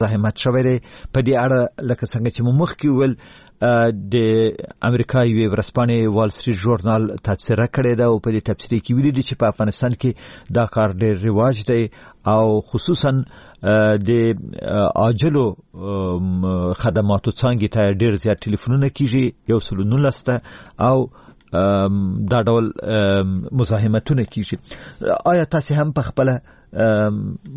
مزاحمت شوی دی. په دې اړه لکه څنګه چې مو مخکې وویل، د امریکا یوې ورځپاڼې وال سټریټ ژورنال تبصره کړې ده او په دې تبصرې کې ویلي دي چې په افغانستان کې دا کار ډېر رواج دی او خصوصا د عاجلو خدماتو څانګې ته ډېر زیات ټلیفونونه کیږي، 119 ته، او دا ډول مزاحمتونه کیږي. آیا تاسو هم په خپله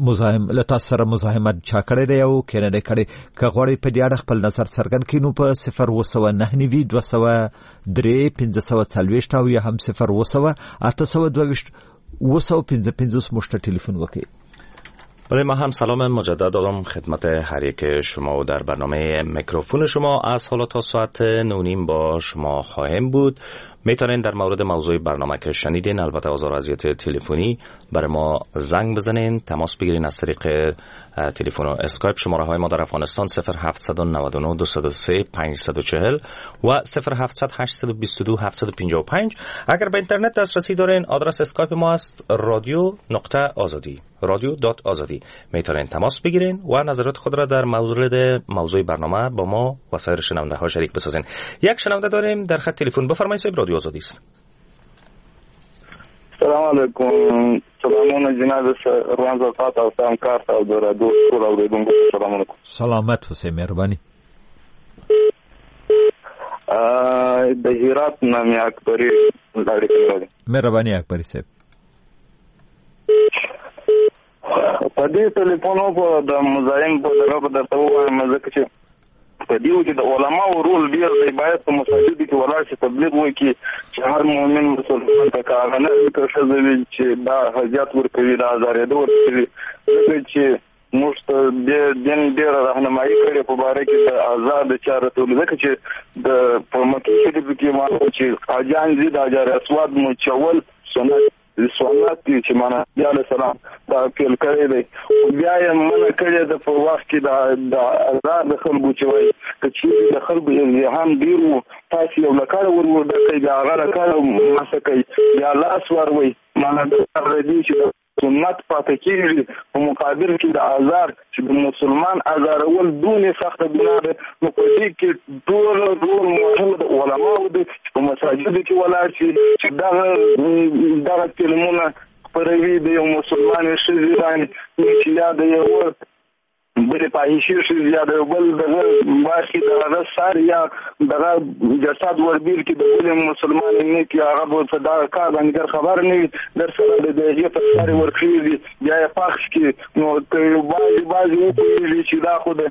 مزاحم له تاسو سره مزاحمت چا کړی دی او که نه دی کړی؟ که غواړئ په دې اړه خپل نظر څرګند کړئ نو په 0799 203 540 او یا هم 0700 822 755 موږ ته ټلیفون وکړئ. بله، ما هم سلام مجدد دارم خدمت هر یک شما و در برنامه میکروفون شما از حالا تا ساعت 9:30 با شما خواهیم بود. میتونین در مورد موضوع برنامه که شنیدین، البته آزار اذیت تلفنی، برای ما زنگ بزنین، تماس بگیرین از طریق تلفن و اسکایپ. شماره های ما در افغانستان 0799 203 540 و 0700 822 755. اگر به اینترنت دسترسی دارین، آدرس اسکایپ ما است رادیو.آزادی، رادیو.آزادی. میتونین تماس بگیرین و نظرات خود را در مورد موضوع برنامه با ما و سایر شنونده ها شریک بسازین. یک شنونده داریم در خط تلفن. بفرمایید صاحب، رادیو آزادی است. سلام علیکم. سلامونه جناب روان زرفات او سلام کار او د رادیو ټول اورېدونکو سلام علیکم. سلامت اوسئ، مهرباني. د هرات نه مې اکبري اړیکه لري. مهرباني اکبري صاحب. په دې ټلیفون په د مزاحم په دغه به درته ووایم، ځکه چې په دې کې د علماو رول ډېر دی. باید په مساجدو کې ولاړ شي، تبلیغ وکړي چې هر مؤمن مسلمان ته که هغه نه وي که ښځه وي چې دا اذیت ورکوي، دا ازارېده ورکوي، ځکه چې موږ ته دې دین ډېره راهنمایي کړې په باره کې د ازار د چا رسولو. ځکه چې د په مکې شریف کې معلوم چې حاجیان ځي د حجر اسود مچول سنت دی چې معنا نبي علیه السلام دا پیل کړی دی، خو بیا یې منع کړې ده په وخت کې د ازار د خلکو چې وایي که چیرې د خلکو ازدحام ډېر و، تاسې یو لکړه ور ورده کوئ، بیا هغه لکړه مسه کوئ، بیا لاس وروئ. معنا دا دی چې د سنت پاتې کېږي په مقابل کې د ازار، چې د مسلمان ازارول دونې سخته ګناه ده. نو په دې کې ټول رول مهم د علماو دی چې په مساجدو کې ولاړ شي، چې دغه فلمونه خپروي د یو مسلمان ښځې باندې، چې یا د یو بلې فاحشې ښځې یا د یو بل دغه برخې د هغه سر یا دغه جسد وربېل کړي د بلې مسلمان نه کړي، هغه به په دغه کار باندې ګر خبر نه وي، در سره د هغې پر سر یې ورکړي، بیا یې پخش کړي. نو که بعضې وپوهېږي چې دا خو د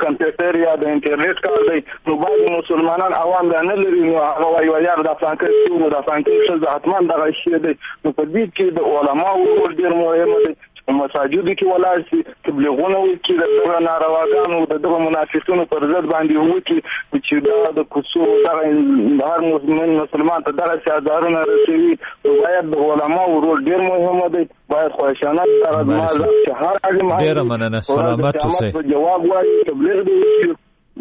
کمپیوټر یا د انټرنېټ کار دی، نو بعضې مسلمانان عوام دا نه لري، نو هغه وایي یار دا فلانکی څه و، دا فلانکی ښځه حتما دغه شی دی. نو په دې کې د علماو رول ډېر مهم دی، په مساجدو کې ولاړ شي، تبلیغونه وکړي، د دغه نارواګانو د دغه منافقینو پر ضد باندې وکړي چې دا د کوڅو دغه هر مسلمان ته دغسې ازارونه رسوي. نو باید د علماو رول ډېر مهم دی، باید خواهشانه دغه زما چې هر عالم ډېره مننه، سلامت اوسئ، جواب وایي، تبلیغ دې وکړي.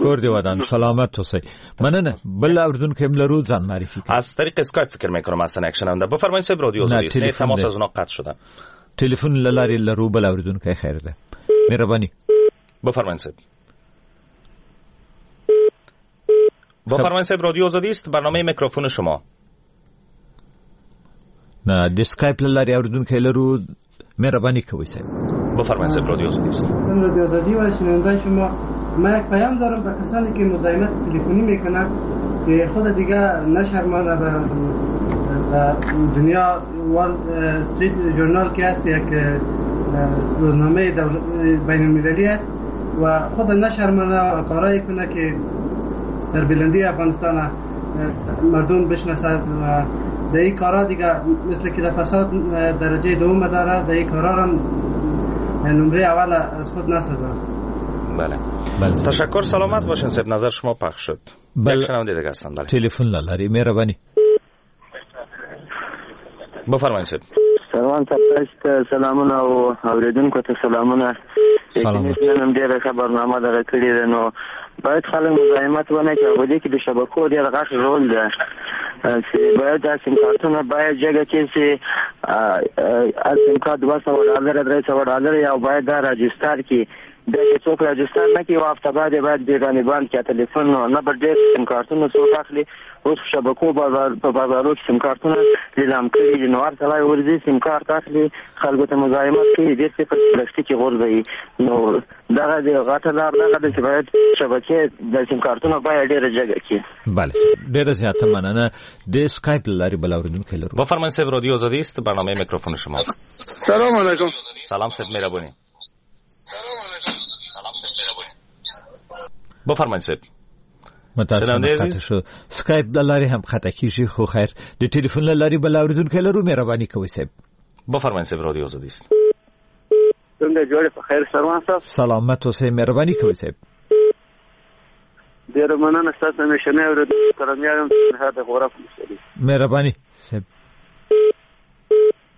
کور دی ودان، سلامت اوسئ. مننه. بل اوریدونکی هم لرو، ځان معرفي کړئ. از طریق اسکایپ فکر میکنم هستن یک شنونده. بفرمایید صاحب، رادیو آزادی است، تماس از اونا قطع شدن. ټلیفون له لارې لرو بل اوریدونکی. خیر ده، مهرباني. بفرمایید صاحب. بفرمایید صاحب، رادیو آزادی است، برنامه میکروفون شما. نه، د اسکایپ له لارې اوریدونکی لرو، مهرباني کوئ صاحب. بفرمایید صاحب، رادیو آزادی است. رادیو آزادی و شنونده شما، من یک پیام دارم به کسانی که مزاحمت تلفنی میکنن که خود دیگه نشرمانه به دنیا. وال استریت ژورنال که هست یک روزنامه بین المللی است و خود نشرمانه و کارایی کنه که سربلندی افغانستان مردم بشناسد و در این کارا دیگه مثل که در فساد درجه دوم داره، در این کارا هم نمره اول از خود نسازد. بله. بله. تشکر، سلامت باشین صاحب، نظر شما پخش شد. بله. یک شنونده دیگه هستن. بله. تلفن لري، مهرباني. بفرمایید صاحب. سلام تاسو، سلامونه او اوریدونکو ته سلامونه. سلام. نن هم ډېره ښه برنامه دغه کړې ده، نو باید خلک مزاحمت ونه کړي. په دې کې د شبکو ډېر غټ رول ده چې باید دا سیم کارتونه باید جګه کړي چې هر سیم کارت $200 $300 یا باید دا راجستر کړي. بیا چې څوک راجستر نه کړي، یوه هفته بعد یې باید بیا باندې بند کړي تلیفون. نو نه به ډېر سیم کارتونه څوک اخلي. اوس شبکو په بازارو کې سیم کارتونه لیلام کړي دي، نو هر سړی ورځي سیم کارت اخلي، خلکو ته مزاحمت کوي، ډېر څه په پلاستیک غورځوي. نو دغه د غټه لار دغه ده چې باید شبکې د سیم کارتونو بیه ډېره جګه کړي. بله، ډېره زیاته مننه. د اسکایپ له لارې بل اورېدونکی لرو. بفرمایید صاحب، رادیو آزادی است، برنامه میکروفون شما. سلام علیکم. سلام صاحب، مهربونی. بفرمایید صاحب. متاسفانه قطع شو. سکایپ له لارې هم قطع کیږي، خو خیر د ټلیفون له لارې بل اورېدونکی لرو. مهرباني کوئ صاحب. بفرمایید صاحب، رادیو آزادی است. څنګه جوړ په خیر سروان صاحب؟ سلامت اوسئ، مهرباني کوئ صاحب. ډېره مننه ستاسو همیشنی اورېدونکی کرمیار یم، د غورک ولسوالۍ. مهرباني صاحب.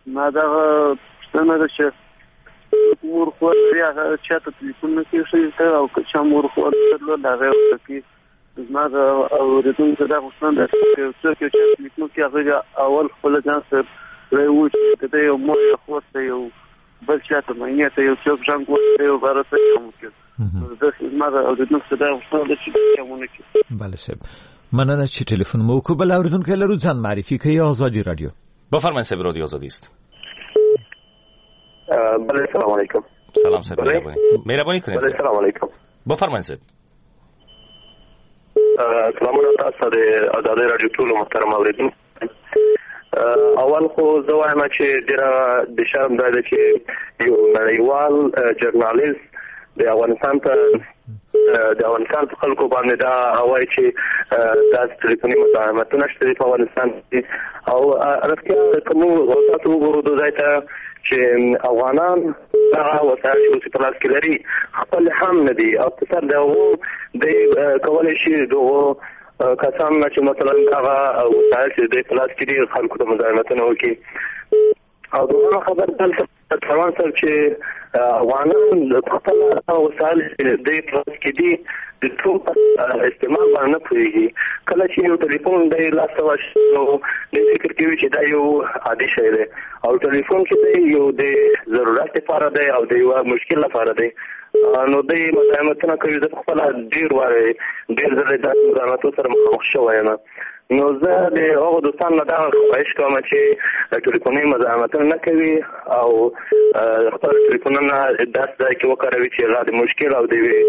ما دغه پوښتنه ده چې مور خور لري، هغه چا ته تلیفون نه کوي ښځې ته، او که چا مور خور درلود هغه یې ورته کوي. زما د اورېدونکو دا غوښتنه ده چې یو څوک یو چا تلیفون کوي، هغه اول خپل ځان سره دی وو چې که دی یو مور یا خور ته یو بل چا ته مینې ته یو څوک زنګ وهي، یو باره څه هم وکړي. داسې زما د اورېدونکو دا غوښتنه ده چې دا ونه کړي. بله صاحب، مننه چې ټلیفون مو وکړو. بل اورېدونکی لرو، ځان معرفي کوي. ازادي رادیو. بفرمایید صاحب، رادیو آزادی است. بله، سلام علیکم. سلام صاحب، مهربانی کنید. بله، سلام علیکم. بفرمایید صاحب. سلامونه تاسو ته د ازادي راډیو ټولو محترم اورېدونکو. اول خو زه وایم چې ډېره د شرم ځای ده چې یو نړیوال ژورنالیست د افغانستان ته د افغانستان په خلکو باندې دا وایي چې داسې ټلیفوني مزاحمتونه شته په افغانستان کې. او رښتیا که موږ تاسو وګورو د ځای ته چې افغانان دغه وسایل چې اوس په لاس کې لري خپل هم نه دي، او په سر د هغو دی کولی شي دغو کسان نه چې مثلا دغه وسایل چې دوی په لاس کې دي خلکو ته مزاحمتونه وکړي. او دوهمه خبره دلته تروان صاحب چې افغانان خپل وسایل چې دوی په لاس کې دي د ټول استعمال باندې نه پوهېږي. کله چې یو ټلیفون دی لاس ته ورشي نو دی فکر کوي چې دا یو عادي شی دی، او ټلیفون چې دی یو د ضرورت لپاره دی او د یوه مشکل لپاره دی. نو دی مزاحمتونه کوي. زه په خپله ډېر وارې ډېر ځلې داسې مزاحمتو سره مخامخ شوی یم. نو زه د هغو دوستانو نه دغه خواهش کوم چې ټلیفوني مزاحمتونه نه کوي او خپل ټلیفونونه داسې ځای کې وکاروي چې هغه د مشکل او د یوې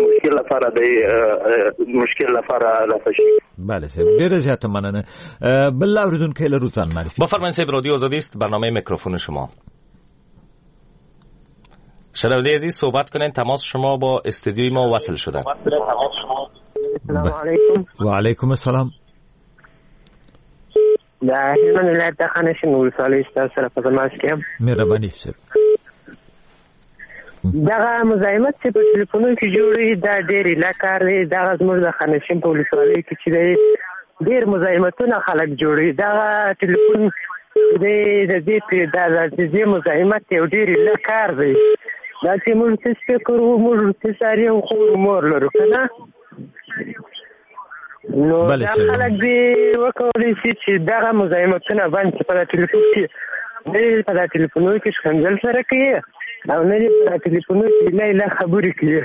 مشکل لپاره د مشکل لپاره رفع شي. بله صاحب، ډېره زیاته مننه. بل اورېدونکی لرو، ځان معرفي. بفرمایید صاحب، رادیو آزادی است، برنامه میکروفون شما. شنونده عزیز صحبت کنین، تماس شما با استودیوی ما وصل شده. سلام علیکم. و علیکم السلام. د هلمند ولایت د خانشین ولسوالۍ ستاسو سره په تماس کې یم. مهرباني صاحب. دغه مزاحمت چې په ټلیفونو کې جوړوي دا ډېر ایله کار دی. دغه زموږ د خانشین په ولسوالۍ کې چې دی ډېر مزاحمتونه خلک جوړوي. دغه ټلیفون دی د دې مزاحمت یو ډېر ایله کار دی. دا چې موږ څه فکر وو، موږ څه ساري یو خور مور لرو که نه، نو دا خلک دې وکولی شي چې دغه مزاحمتونه بند کړي. په دا ټلیفون کې نه په دا ټلیفونو کې ښکنځل سره کوي، او نه دې په دا ټلیفونو کې ایله ایله خبرې کوي،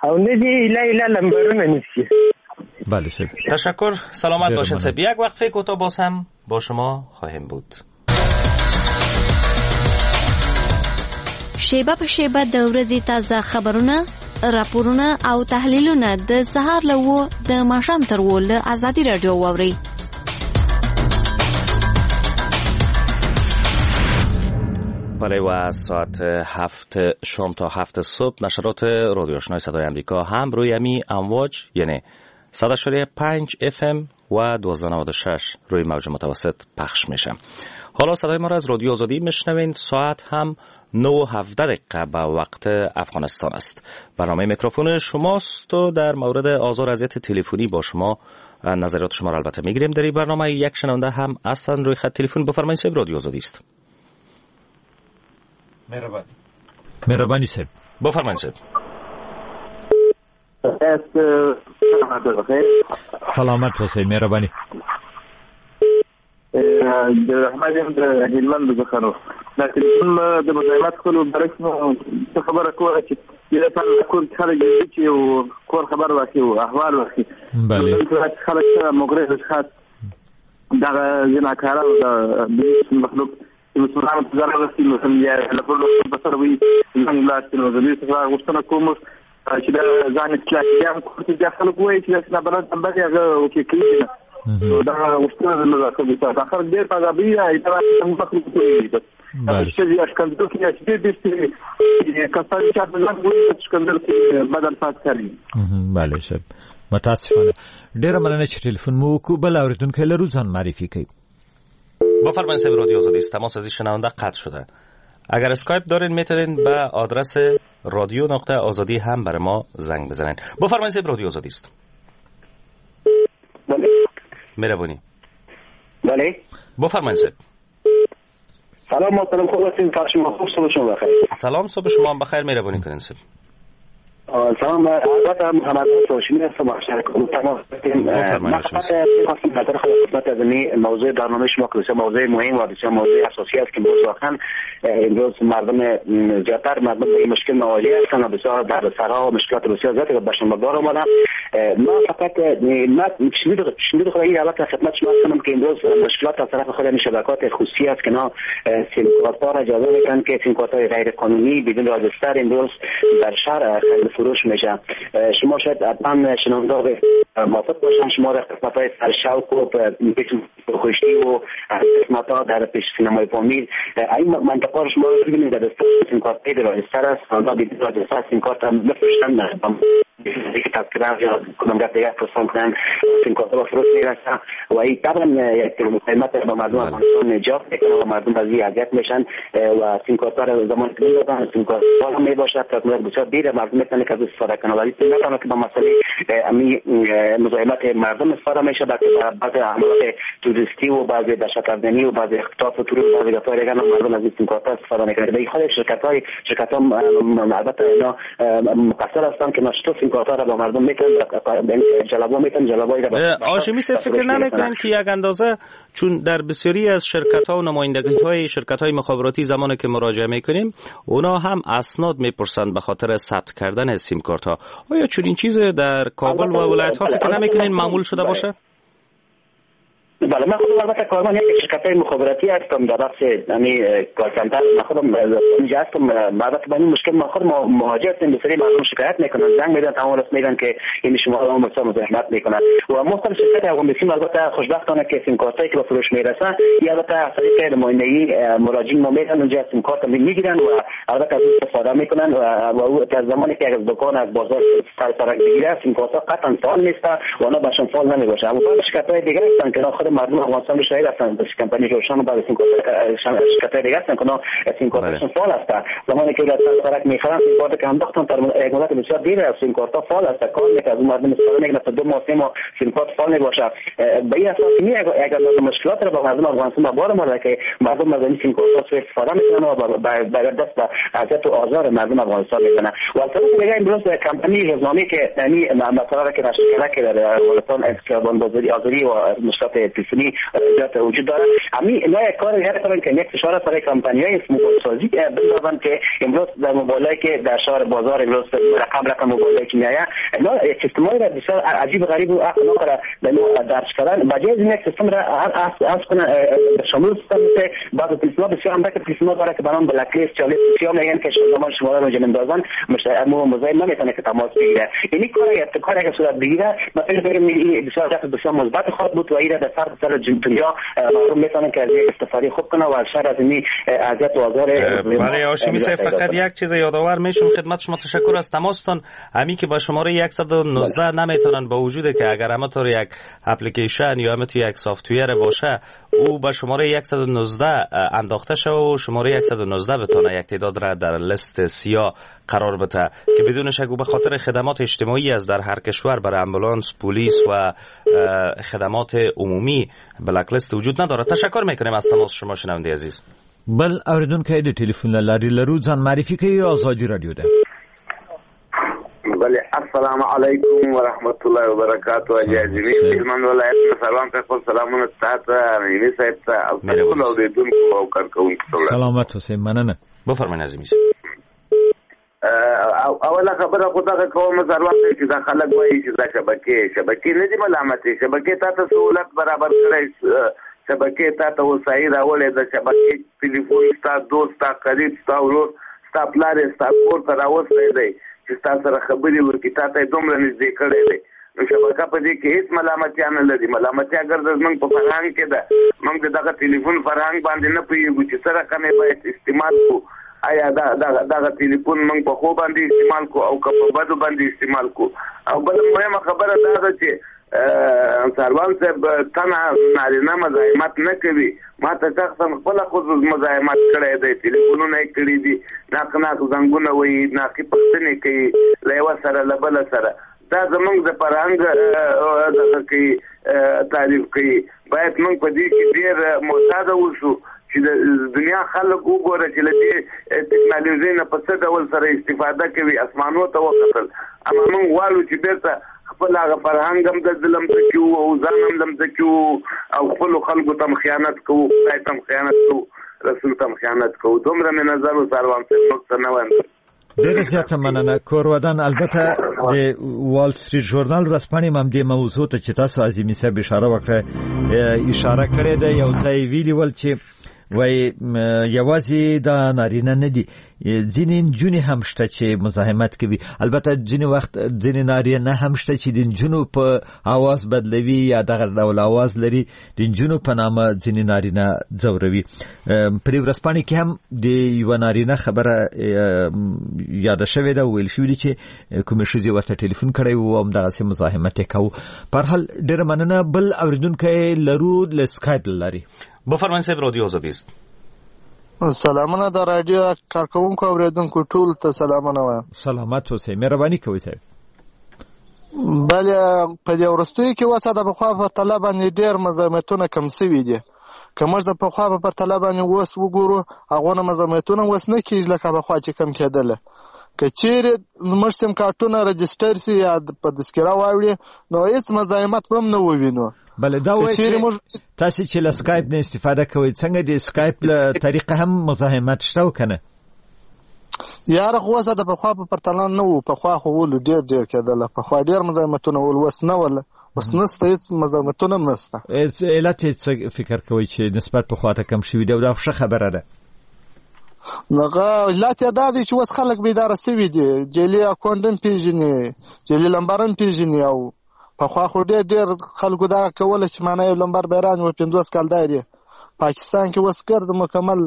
او نه دې ایله ایله لمبرونه نیسي. بله صاحب، تشکر. سلامت باشین صاحب. یک وقفه کوتاه باز هم با شما خواهیم بود. شیبه په شیبه د ورځې تازه خبرونه، راپورونه او تحلیلونه د سهار له 7 د ماښام تر 7 له ازادي راډیو واورئ. بله، و ساعت 7 شام تا 7 صبح نشرات رادیو آشنای صدای امریکا هم روی امی امواج یعنی 100.5 FM و 1296 روی موج متوسط پخش میشه. حالا صدای ما را از رادیو آزادی میشنوین. ساعت هم 9:17 به وقت افغانستان است. برنامه میکروفون شماست و در مورد آزار اذیت تلفنی با شما نظریات شما را البته میگیریم. در این برنامه یک شنونده هم اصلا روی خط تلفن. بفرمایید صاحب، رادیو آزادی است. مهربانی صاحب. بفرمایید صاحب. سلامت اوسئ، مهرباني. د رحمت یم د هلمند څخه. نو دا ټلیفون د مزاحمت کولو باره کې مو څه خبره کوله چې دې لپاره کور کې خلک چې یو کور خبر واخلي او احوال واخلي. بله. خلک سره مغرض اشخاص دغه زناکاره او د مخلوق چې مسلمانانو ته ضرر رسوي، نو هم بیا له بل په سر وي ځان لاړ شي. نو زه دې څخه غوښتنه کوم چې دا ځان اصلاح کړي. بیا هم کور کې بیا خلک وایي چې داسې نابلد نمبر یې هغه اوکې کوي نه. نو دا غوښتنه زموږ ده. دا خلک ډېر په عذابوي، دا مخلوق کوي بس. ښځې ښکنځل کوي، چې ډېر ډېر کسان چې په ځان وایي ښکنځل کوي، بد الفاظ کاروي. بله صاحب، متاسفانه. ډېره مننه چې ټلیفون مو وکړو. بل اورېدونکی لرو، ځان معرفي کوي. بفرمایید صاحب رادیو آزادی است. تماس از این شنونده قطع شده. اگر اسکایپ دارین میتونین به آدرس رادیو نقطه آزادی هم برای ما زنگ بزنین. بفرمایید صاحب رادیو آزادی است. بله. مهربانی. بله. بفرمایید صاحب. سلام محترم، خوب هستین؟ شما خوب؟ صبح شما بخیر. سلام، صبح شما هم بخیر. مهربانی کنین صاحب. سلام، البته محمد هاشمی هستم، تماس بفرمایید. خواستم نظر خود خدمت از این موضوع برنامه شما که بسیار موضوع مهم و بسیار موضوع اساسی است که امروز واقعا امروز مردم زیادتر مردم به این مشکل مواجه هستند و بسیار دردسرها و مشکلات بسیار زیادی به شما بار آمدن. ما فقط ما شنید خود این البته خدمت شما هستم که امروز مشکلات از طرف خود شبکات خصوصی است که نا سیم کارت ها را اجازه میدن که سیم کارت های غیر قانونی بدون راجستر امروز در شهر خرید فروش میشه. شما شاید حتما شنونده موافق باشن، شما در قسمت های سرشوق و خوشی و قسمت ها در پیش سینمای پامیر این منطقه رو شما ببینید در سیم کارت های راجستر است، آنها بدون راجستر سیم کارت هم بفروشن، که تذکره یا کدام گپ دیگر پرسان کنن سیم کارت با فروش میرسن و این طبعا یک قیمت با مردم افغانستان نجات میکنه و مردم از این اذیت میشن و سیم کارت را زمان که میدادن سیم کارت هم میباشد تا بسیار دیر مردم میتونه که از استفاده کنه، ولی نه تنها که با مسئله امی مزاحمت مردم استفاده میشه، بلکه بعضی عملات توریستی و بعضی دهشت افغانی و بعضی اختطاف و ترور و بعضی گپ‌های دیگر مردم از این سیم کارت استفاده میکنه. به خود شرکت ها البته اینا مقصر هستن که ناشتا سیم کارت را با مردم میتن، جلبا میتن، جلبای را. هاشمی صاحب فکر نمیکنن که یک اندازه چون در بسیاری از شرکت ها و نمایندگی های شرکت های مخابراتی زمانی که مراجعه میکنیم اونا هم اسناد میپرسند به خاطر ثبت کردن سیم کارت ها، آیا چون این چیز در کابل و ولایت ها فکر نمیکنین معمول شده باشه؟ بله، من خودم البته کارمند یک شرکت مخابراتی هستم در بخش یعنی call center، من خودم اینجا هستم. البته با این مشکل ما خود مواجه هستیم، بسیاری مردم شکایت میکنن، زنگ میدن، تمام راست میگن که این شما را بسیار مزاحمت میکنن و ما خود شرکت افغان بیسیم البته خوشبختانه که سیم کارتایی که به فروش میرسن یا البته از طریق نمایندگی مراجعین ما میرن اونجا سیم کارت میگیرن و البته از استفاده میکنن و تا زمانی که از دکان از بازار سر سرک بگیره سیم کارت قطعا فعال نیست و اونا بهشون فعال نمیباشه. اما شرکت های دیگه هستن که خود مردم افغانستان شاهد هستن، کمپانی روشن و بعد سیم کارت شرکت دیگه هستن که سیم کارتشون فعال است. زمانی که در سرک میخرن سیم کارت که انداختن در یک مدت بسیار دیر است سیم کارت فعال است، کار میکنه، از مردم استفاده میکنه تا 2 ماه 3 ماه سیم کارت فعال میباشه. به این اساس می اگر مشکلات را با مردم افغانستان بار اومده که مردم از این سیم کارت سوء استفاده میکنن و با دست به اذیت و آزار مردم افغانستان میکنن. و از طرف دیگه امروز کمپانی روزنامه که یعنی مثلا که نشر کرده که در افغانستان خیابان بازاری آزادی و مشکلات تلفنی زیاد وجود داره، همین اینا یک کار دیگر کردن که یک فشار برای کمپانی‌های موبایل سازی بندازن که امروز در موبایلایی که در شهر بازار امروز رقم موبایلایی که میآید اینا یک سیستم‌های را بسیار عجیب غریب و عقل ناقره به ما درج کردن. بجای از این یک سیستم را از کنه شامل سیستم مثل بعض تلفن‌ها بسیار هم که تلفن‌ها داره که به نام بلک لیست یا لیست سیاه میگن که زمان شما رو اندازن مزاحم نمیتونه که تماس بگیره. یعنی کار اگه صورت بگیره ما فکر می‌کنیم این بسیار بسیار مثبت خواهد بود و این در سر دنیا مردم میتونن که از استفاده خوب کنه و از شر از این اذیت و آزار. بله هاشمی صاحب، فقط یک چیز یادآور میشم خدمت شما، تشکر از تماستان. همین که با شماره 119 نمیتونن با وجود که اگر همه طور یک اپلیکیشن یا همه یک software باشه او با شماره 119 انداخته شوه و شماره 119 بتونه یک تعداد را در لیست سیاه قرار بده که بدون شک به خاطر خدمات اجتماعی از در هر کشور برای امبولانس، پلیس و خدمات عمومی black list وجود نداره. تشکر میکنیم از تماس شما شنونده عزیز. بل اوریدونکی د ټلیفون له لارې لرو، ځان معرفي کوي، ازادي رادیو ده. بله، السلام علیکم ورحمت الله وبرکاته. اجازه هلمند ولایت سلام په خپل سلامونه تاسو عظیمي صاحب ته او ټول اوریدونکو او کارکوونکو ته. سلامت اوسئ، مننه. بفرمایئ عظیمي. اوله خبره خو دغه کوم ضرورت دی چې دا خلک وایي چې دا شبکې نه دي ملامتې، شبکې تا ته سهولت برابر کړی، شبکې تا ته وسایل راوړی، د شبکې ټلیفون ستا دوست، ستا قریب، ستا ورور، ستا پلار یې ستا کور ته راوستی دی چې ستا سره خبرې وکړي، تا ته یې دومره نږدې کړی دی. نو شبکه په دې کې هېڅ ملامتیا نه لري. ملامتیا ګرځه زموږ په فرهنګ کې ده، موږ د دغه ټلیفون فرهنګ باندې نه پوهېږو چې څه رقم یې باید استعمال کړو. آیا دغه ټلیفون موږ په ښو باندې استعمال کړو او که په بدو باندې استعمال کړو؟ او بله مهمه خبره دا ده چې ساروان صاحب تنه نارینه مزاحمت نه کوي. ما ته شخصا خپله ښځو مزاحمت کړی دی، ټلیفونونه یې کړي دي، ناق ناق زنګونه وایي، ناقي پوښتنې کوي له یوه سره له بله سره. دا زموږ د فرهنګ دغه کوي، تعریف کوي. باید موږ په دې کې ډېر محتاط اوسو چې د دنیا خلک وګوره چې له دې ټکنالوژۍ نه په څه ډول سره استفاده کوي، اسمانو ته وختل. اما موږ غواړو چې بېرته خپل هغه فرهنګ هم د لمسه کیو او ځان هم لمسه کیو او خپلو خلکو ته هم خیانت کوو، خدای ته هم خیانت کوو، رسول ته هم خیانت کوو. دومره مې نظر و ساروان صاحب، نور څه نه وایم. ډېره زیاته مننه کور ودان. البته د وال سټریټ ژورنال ورځپاڼې هم دې موضوع ته چې تاسو عظیمي صاحب اشاره وکړه اشاره کړې ده. یو ځای ویلي ول چې وایي یوازې دا نارینه نه دي، ځینې نجونې هم شته چې مزاحمت کوي. البته ځینې وخت ځینې نارینه هم شته چې د نجونو په اواز بدلوي یا دغه ډول اواز لري، د نجونو په نامه ځینې نارینه ځوروي. په دې ورځپاڼې کې هم د یوه نارینه خبره یاده شوې ده، ویل شوي دي چې کومې ښځې ورته ټلیفون کړی و او همدغسې مزاحمت یې کاوه. په هر حال ډېره مننه. بل اورېدونکی لرو له سکایپ له لارې. بفرمایئ صاحب، رادیو آزادی است. سلامونه د رادیو کارکوونکو اوریدونکو ټول ته سلامونه وایم. سلامت اوسئ، مهرباني کوئ صاحب. بله په دې وروستیو کې اوس د پخوا په پرتله باندې ډېر مزاحمتونه کم سوي دي. که موږ د پخوا په پرتله باندې اوس وګورو، هغونه مزاحمتونه اوس نه کېږي لکه پخوا چې کم کېدله. که چیرې زموږ سیم کارتونه رجسټر سي یا په تذکره واوړي، نو هېڅ مزاحمت به هم نه ووینو. بله دا وایي چې تاسې چې له سکایپ نه استفاده کوئ، څنګه د سکایپ له طریقه هم مزاحمت شته او که نه؟ یاره خو اوس د پخوا په پرتله نه وو. پخوا خو ولو ډېر ډېر کېدله، پخوا ډېر مزاحمتونه ول، اوس نه وله، اوس نسته، هېڅ مزاحمتونه هم نسته. علت یې څه فکر کوئ چې نسبت پخوا ته کم شوي دي؟ او دا خو ښه خبره ده. هغه علت یې دا دی چې اوس خلک بیداره سوي دي، جعلي اکونټ هم پېژني، جعلي لمبر هم پېژني. او پخوا خو ډېر ډېر خلکو دغه کوله چې معنی یو لمبر به یې رانیوه 50 کال دار یې. پاکستان کې اوس ګرد مکمل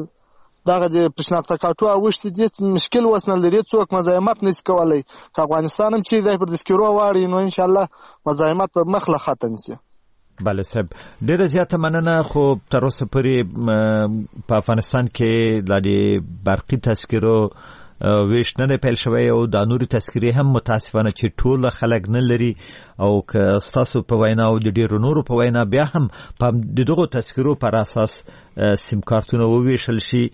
دغه د شناخته کارټو اوښتي دي، هېڅ مشکل اوس نه لري، څوک مزاحمت نه شي کولی. که افغانستان هم چیرې دی پر تذکرو واړوي، نو انشاءالله مزاحمت به مخ له ختم شي. بله صاحب، ډېره زیاته مننه. خو تر اوسه پورې په افغانستان کې لا د برقي تذکرو ویش نه دی پیل شوی او دا نورې تذکرې هم متاسفانه چې ټول خلک نه لري. او که ستاسو په وینا او د ډېرو نورو په وینا بیا هم په د دغو تذکرو پر اساس سیم کارتونه وویشل شي،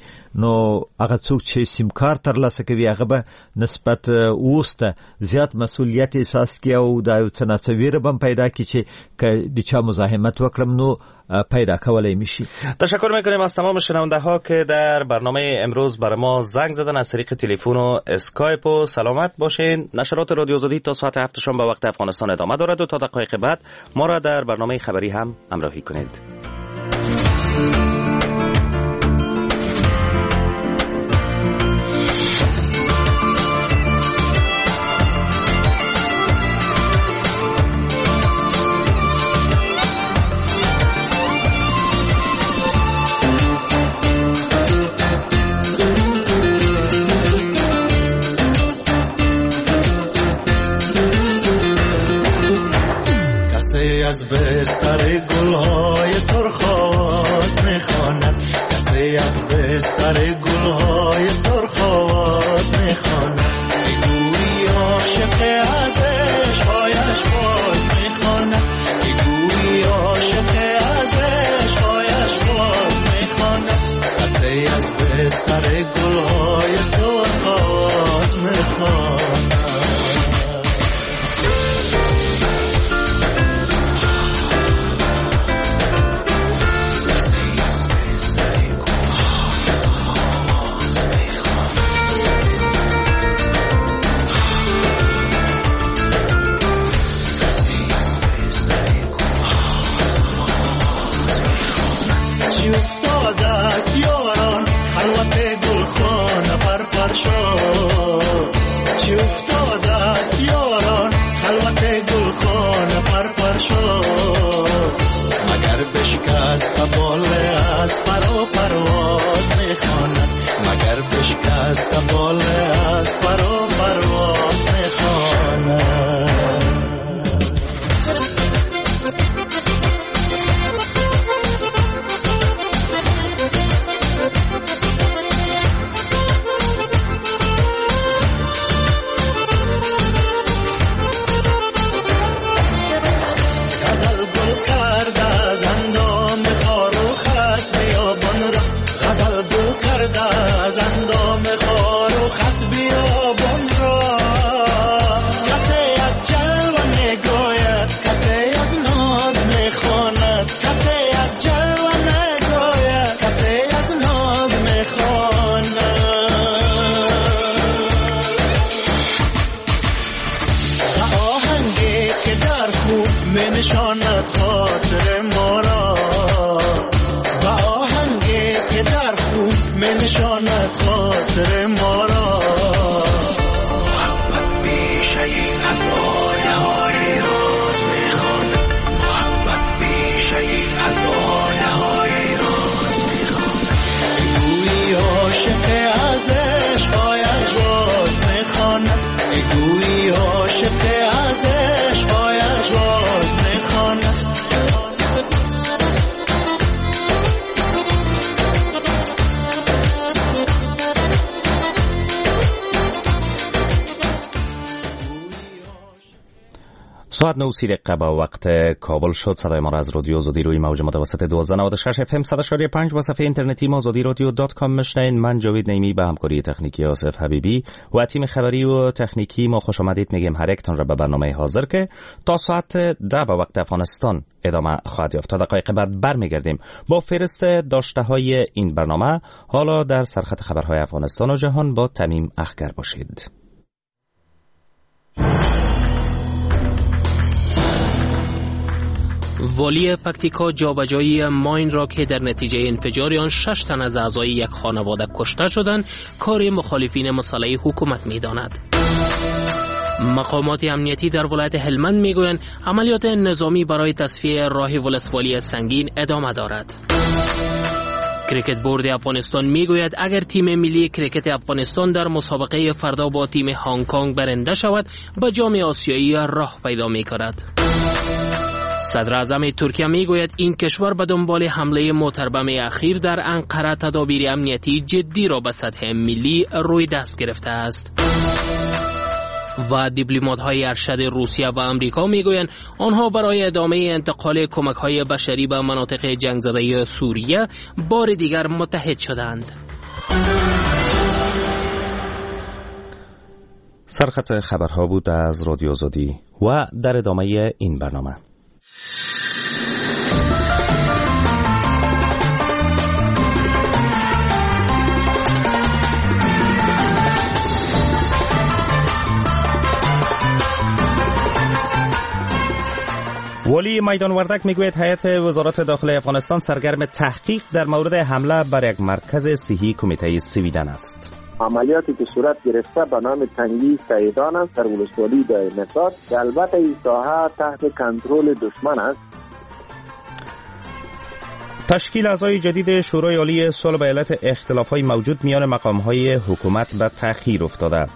نو هغه څوک چې سیم کارت ترلاسه کوي هغه به نسبت اوس ته زیات مسؤلیت احساس کړي او دا یو څه ناڅه ویره به هم پیدا کړي چې که د چا مزاحمت وکړم نو پیدا کولای میشی. تشکر میکنیم از تمام شنونده ها که در برنامه امروز بر ما زنگ زدن از طریق تلفن و اسکایپ. و سلامت باشین. نشرات رادیو آزادی تا ساعت 7 شام به وقت افغانستان ادامه دارد و تا دقایق بعد ما را در برنامه خبری هم همراهی کنید. از بستر گلهای سرخ آواز میخواند، کسی از بستر گلهای سرخ آواز میخواند، گویی عاشق از عشقهایش باز میخواند، گویی عاشق از عشقهایش باز میخواند، کسی از بستر گلهای سرخ آواز میخواند. شکست بال از پر و پرواز میخواند. ساعت 9:30 با وقت کابل شد. صدای ما را از رادیو آزادی روی موج متوسط 1296 اف ام 100.5 و صفحه اینترنتی ما آزادی رادیو dot com میشنوین. من جاوید نعیمی به همکاری تکنیکی آصف حبیبی و تیم خبری و تکنیکی ما خوش آمدید میگیم هر یکتان را به برنامه حاضر که تا ساعت 10 به وقت افغانستان ادامه خواهد یافت. تا دقایق بعد برمیگردیم با فهرست داشته های این برنامه. حالا در سرخط خبرهای افغانستان و جهان با تمیم اخگر باشید. والی پکتیکا جابجایی ماین را که در نتیجه انفجار آن 6 تن از اعضای یک خانواده کشته شدند، کار مخالفین مسلح حکومت می‌داند. مقامات امنیتی در ولایت هلمند میگویند عملیات نظامی برای تصفیه راه ولسوالی سنگین ادامه دارد. کرکت بورد افغانستان میگوید اگر تیم ملی کرکت افغانستان در مسابقه فردا با تیم هنگ کنگ برنده شود، به جام آسیایی راه پیدا می‌کند. صدر اعظم ترکیه میگوید این کشور به دنبال حمله موتربم اخیر در انقره تدابیر امنیتی جدی را به سطح ملی روی دست گرفته است. و دیپلمات‌های ارشد روسیه و آمریکا میگویند آنها برای ادامه انتقال کمک‌های بشری به مناطق جنگ زده سوریه بار دیگر متحد شدند. سرخط خبرها بود از رادیو آزادی و در ادامه این برنامه والی میدان وردک میگوید هیئت وزارت داخله افغانستان سرگرم تحقیق در مورد حمله بر یک مرکز صحی کمیته سویدن است. عملیاتی که صورت گرفته به نام تنگی سیدان است در ولسوالی دایمسار که البته این ساحه تحت کنترل دشمن است. تشکیل اعضای جدید شورای عالی صلح به علت اختلاف‌های موجود میان مقام‌های حکومت به تأخیر افتاده.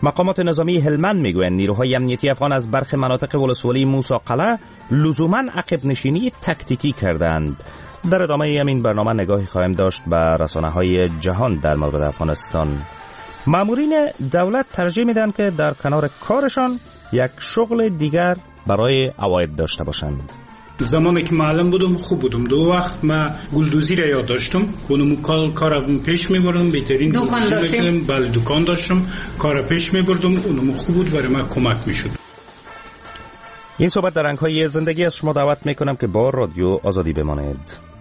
مقامات نظامی هلمند میگویند نیروهای امنیتی افغان از برخی مناطق ولسوالی موسی قلعه لزوما عقب نشینی تکتیکی کردند. در ادامه همین برنامه نگاهی خواهیم داشت به رسانه‌های جهان در مورد افغانستان. مامورین دولت ترجیح میدن که در کنار کارشان یک شغل دیگر برای عواید داشته باشند. زمانی که معلم بودم خوب بودم. دو وقت ما گلدوزی را یاد داشتم، اونم کار پیش می‌بردم، بهترین دکان داشتم. بله دکان داشتم، کار پیش می‌بردم، اونم خوب بود، برای من کمک می‌شد. این صحبت در رنگ‌های زندگی از شما دعوت می‌کنم که با رادیو آزادی بمانید.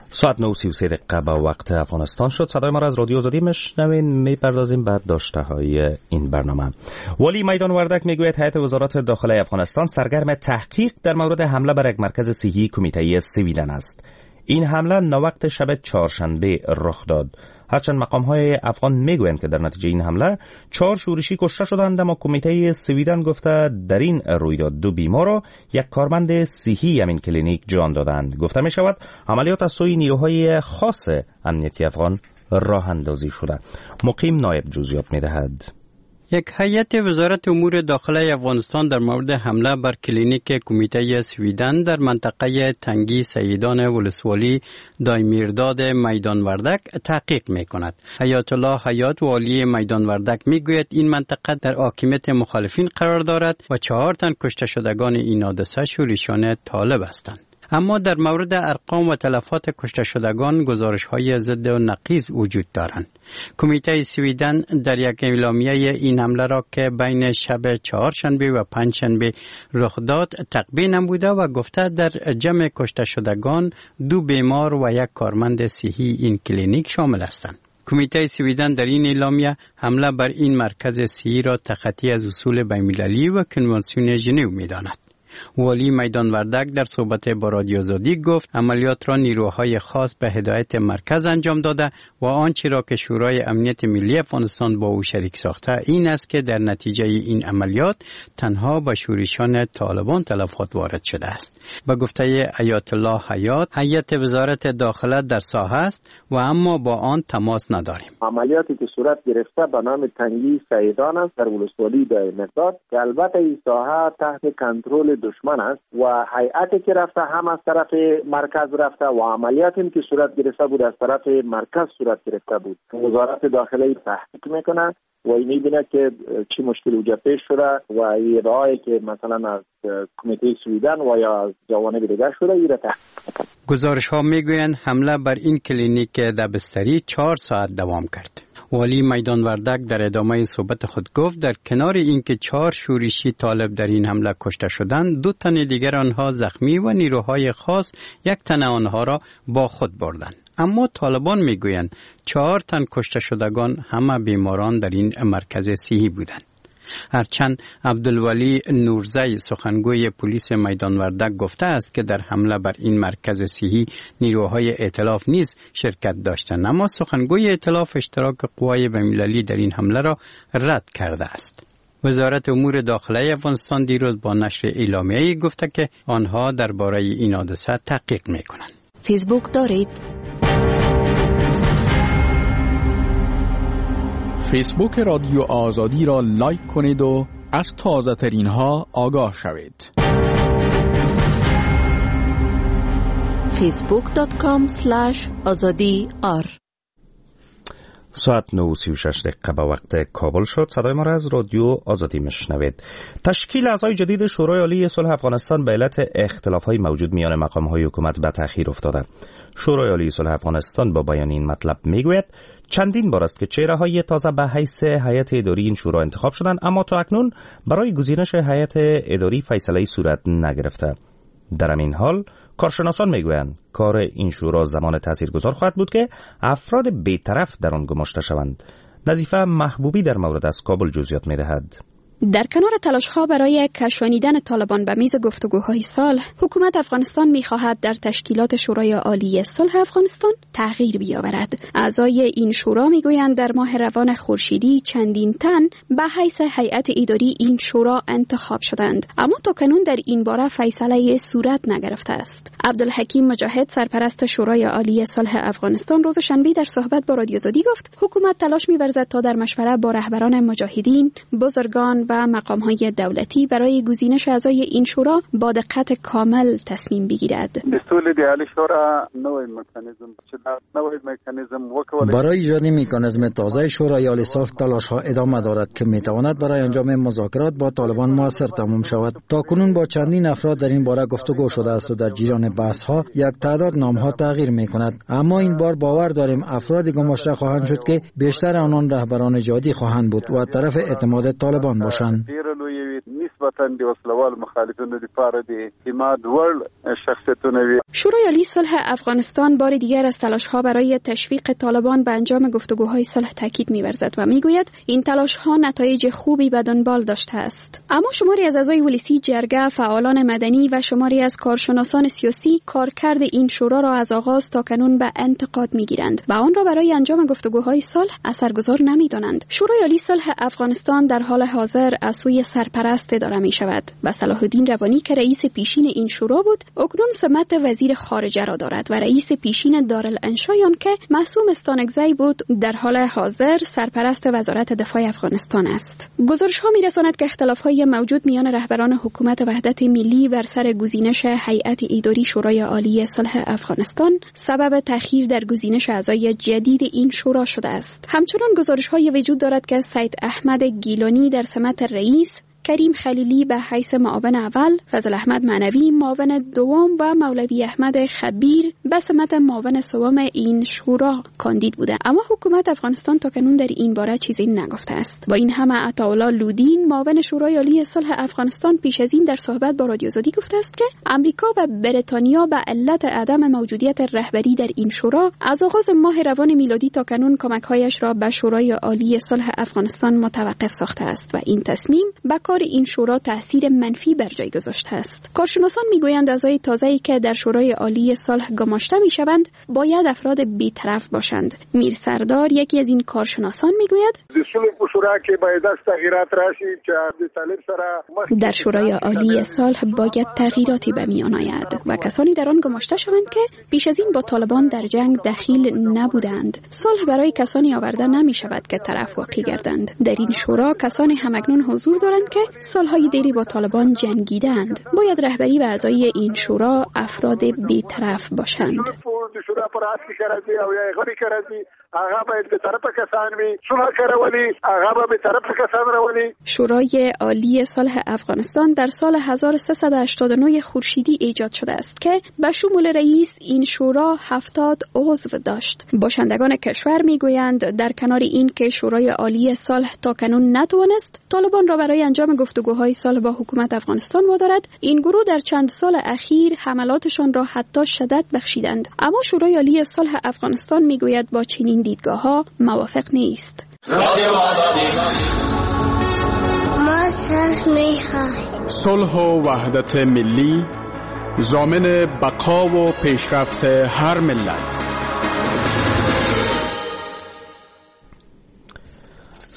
ساعت 9:33 به وقت افغانستان شد. صدای ما را از رادیو آزادی میشنوین. میپردازیم به داشته های این برنامه. والی میدان وردک میگوید هیئت وزارت داخله افغانستان سرگرم تحقیق در مورد حمله بر یک مرکز صحی کمیته سویدن است. این حمله ناوقت شب چهارشنبه رخ داد. هرچند مقام های افغان میگویند که در نتیجه این حمله 4 شورشی کشته شدند، اما کمیته سویدن گفته در این رویداد 2 بیمار و یک کارمند صحی همین کلینیک جان دادند. گفته می شود عملیات از سوی نیروهای خاص امنیتی افغان راه اندازی شده. مقیم نایب جزئیات می دهد. یک هیئت وزارت امور داخله افغانستان در مورد حمله بر کلینیک کمیته سویدن در منطقه تنگی سیدان ولسوالی دایمیرداد میدان وردک تحقیق می کند. حیات الله حیات والی میدان وردک می گوید این منطقه در حاکمیت مخالفین قرار دارد و 4 تن کشته شدگان این حادثه شورشیان طالب هستند. اما در مورد ارقام و تلفات کشته شدگان گزارش های ضد و نقیض وجود دارند. کمیته سویدن در یک اعلامیه این حمله را که بین شب چهارشنبه و پنجشنبه رخ داد تقبیح نموده و گفته در جمع کشته شدگان 2 بیمار و یک کارمند صحی این کلینیک شامل هستند. کمیته سویدن در این اعلامیه حمله بر این مرکز صحی را تخطی از اصول بین‌المللی و کنوانسیون ژنو می‌داند. والی میدان وردک در صحبت با رادیو آزادی گفت عملیات را نیروهای خاص به هدایت مرکز انجام داده و آنچه را که شورای امنیت ملی افغانستان با او شریک ساخته این است که در نتیجه این عملیات تنها به شورشیان طالبان تلفات وارد شده است. به گفته حیات الله حیات، هیئت وزارت داخله در ساحه است و اما با آن تماس نداریم. عملیاتی که صورت گرفته به نام تنگی سیدان است در ولسوالی دایمیرداد که البته این ساحه تحت کنترل دشمن است و هیئتی که رفته هم از طرف مرکز رفته و عملیاتی که صورت گرفته بود از طرف مرکز صورت گرفته بود. وزارت داخله تحقیق میکنه و میبینه که چی مشکل وجود پیش شده و ادعایی که مثلا از کمیته سویدن و یا از جوانب دیگر شده ایره تحقیق. گزارش ها میگویند حمله بر این کلینیک دبستری 4 ساعت دوام کرد. والی میدان وردک در ادامه صحبت خود گفت در کنار اینکه 4 شورشی طالب در این حمله کشته شدند، 2 تن دیگر آنها زخمی و نیروهای خاص 1 تن آنها را با خود بردند. اما طالبان میگویند 4 تن کشته شدگان همه بیماران در این مرکز صحی بودند. هرچند عبدالولی نورزی سخنگوی پلیس میدان وردک گفته است که در حمله بر این مرکز صحی نیروهای ائتلاف نیز شرکت داشتند، اما سخنگوی ائتلاف اشتراک قوای بین‌المللی در این حمله را رد کرده است. وزارت امور داخله افغانستان دیروز با نشر اعلامیه‌ای گفته که آنها درباره این حادثه تحقیق می‌کنند. فیسبوک دارید؟ فیسبوک رادیو آزادی را لایک کنید و از تازه ترین ها آگاه شوید. facebook.com/azadi-r. ساعت 9:36 به وقت کابل شد. صدای ما را از رادیو آزادی میشنوید. تشکیل اعضای جدید شورای عالی صلح افغانستان به علت اختلاف‌های موجود میان مقام‌های حکومت به تأخیر افتاده. شورای عالی صلح افغانستان با بیان این مطلب میگوید چندین بار است که چهره‌های تازه به حیث هیئت اداری این شورا انتخاب شدند، اما تا اکنون برای گزینش هیئت اداری فیصله صورت نگرفته. در همین حال کارشناسان میگویند کار این شورا زمان تاثیرگذار خواهد بود که افراد بی‌طرف در آن گماشته شوند. نظیفه محبوبی در مورد از کابل جزئیات می‌دهد. در کنار تلاش‌ها برای کشانیدن طالبان به میز گفتگوهای صلح، حکومت افغانستان می‌خواهد در تشکیلات شورای عالی صلح افغانستان تغییر بیاورد. اعضای این شورا می‌گویند در ماه روان خورشیدی چندین تن به حیث هیئت اداری این شورا انتخاب شدند، اما تاکنون در این باره فیصله صورت نگرفته است. عبدالحکیم مجاهد، سرپرست شورای عالی صلح افغانستان، روز شنبه در صحبت با رادیو آزادی گفت حکومت تلاش می‌ورزد تا در مشوره با رهبران مجاهدین، بزرگان و مقام‌های دولتی برای گزینش اعضای این شورا با دقت کامل تصمیم بگیرد. برای ایجاد مکانیزم تازه شورای عالی صلح تلاش‌ها ادامه دارد که می‌تواند برای انجام مذاکرات با طالبان موثر تمام شود. تاکنون با چندین افراد در این باره گفتگو شده است و در جریان بحث‌ها یک تعداد نام‌ها تغییر می‌کند، اما این بار باور داریم افراد گماشته خواهند شد که بیشتر آنان رهبران جهادی خواهند بود و طرف اعتماد طالبان باشند. نسبتاً د وسلوالو مخالفینو لپاره د اعتماد وړ شخصیتونه وي. شورای عالی صلح افغانستان بار دیگر از تلاش‌ها برای تشویق طالبان به انجام گفتگوهای صلح تاکید می‌ورزد و می‌گوید این تلاش‌ها نتایج خوبی به دنبال داشته است. اما شماری از اعضای ولسی جرگه، فعالان مدنی و شماری از کارشناسان سیاسی کارکرد این شورا را از آغاز تا کنون به انتقاد می‌گیرند و آن را برای انجام گفتگوهای صلح اثرگذار نمی‌دانند. شورای عالی صلح افغانستان در حال حاضر از سوی سرپرست اداره می‌شود و صلاح الدین روانی که رئیس پیشین این شورا بود، اکنون سمت وزیر خارجه را دارد و رئیس پیشین دارالانشای آن که معصوم استانکزی بود، در حال حاضر سرپرست وزارت دفاع افغانستان است. گزارش‌ها می‌رساند که اختلاف‌های موجود میان رهبران حکومت وحدت ملی بر سر گزینش هیئت اداری شورای عالی صلح افغانستان سبب تأخیر در گزینش اعضای جدید این شورا شده است. همچنان گزارش‌های وجود دارد که سید احمد گیلانی در سمت رئیس، کریم خلیلی به حیث معاون اول، فضل احمد معنوی معاون دوم و مولوی احمد خبیر به سمت معاون سوم این شورا کاندید بوده، اما حکومت افغانستان تاکنون در این باره چیزی نگفته است. با این همه عطاالله لودین معاون شورای عالی صلح افغانستان پیش از این در صحبت با رادیو آزادی گفته است که امریکا و بریتانیا به علت عدم موجودیت رهبری در این شورا از آغاز ماه روان میلادی تاکنون کمک‌هایش را به شورای عالی صلح افغانستان متوقف ساخته است و این تصمیم به این شورا تاثیر منفی بر جای گذاشته است. کارشناسان میگویند اعضای تازه‌ای که در شورای عالی صلح گماشته میشوند باید افراد بی‌طرف باشند. میر سردار یکی از این کارشناسان میگوید در شورای عالی صلح باید تغییراتی به میان آید و کسانی در آن گماشته شوند که پیش از این با طالبان در جنگ دخیل نبودند. صلح برای کسانی آورده نمی شود که طرف واقع گردند. در این شورا کسانی همکنون حضور دارند که سالهای دیری با طالبان جنگیدند. باید رهبری و اعضای این شورا افراد بی‌طرف باشند. شورای عالی صلح افغانستان در سال 1389 خورشیدی ایجاد شده است که به شمول رئیس این شورا 70 عضو داشت. باشندگان کشور میگویند در کنار این که شورای عالی صلح تاکنون نتوانست طالبان را برای انجام گفتگوهای صلح با حکومت افغانستان وادارد، این گروه در چند سال اخیر حملاتشان را حتی شدت بخشیدند. اما شورای عالی صلح افغانستان میگوید با چنین دیدگاه‌ها موافق نیست. ما صلح می‌خواهیم. صلح و وحدت ملی ضامن بقا و پیشرفت هر ملت.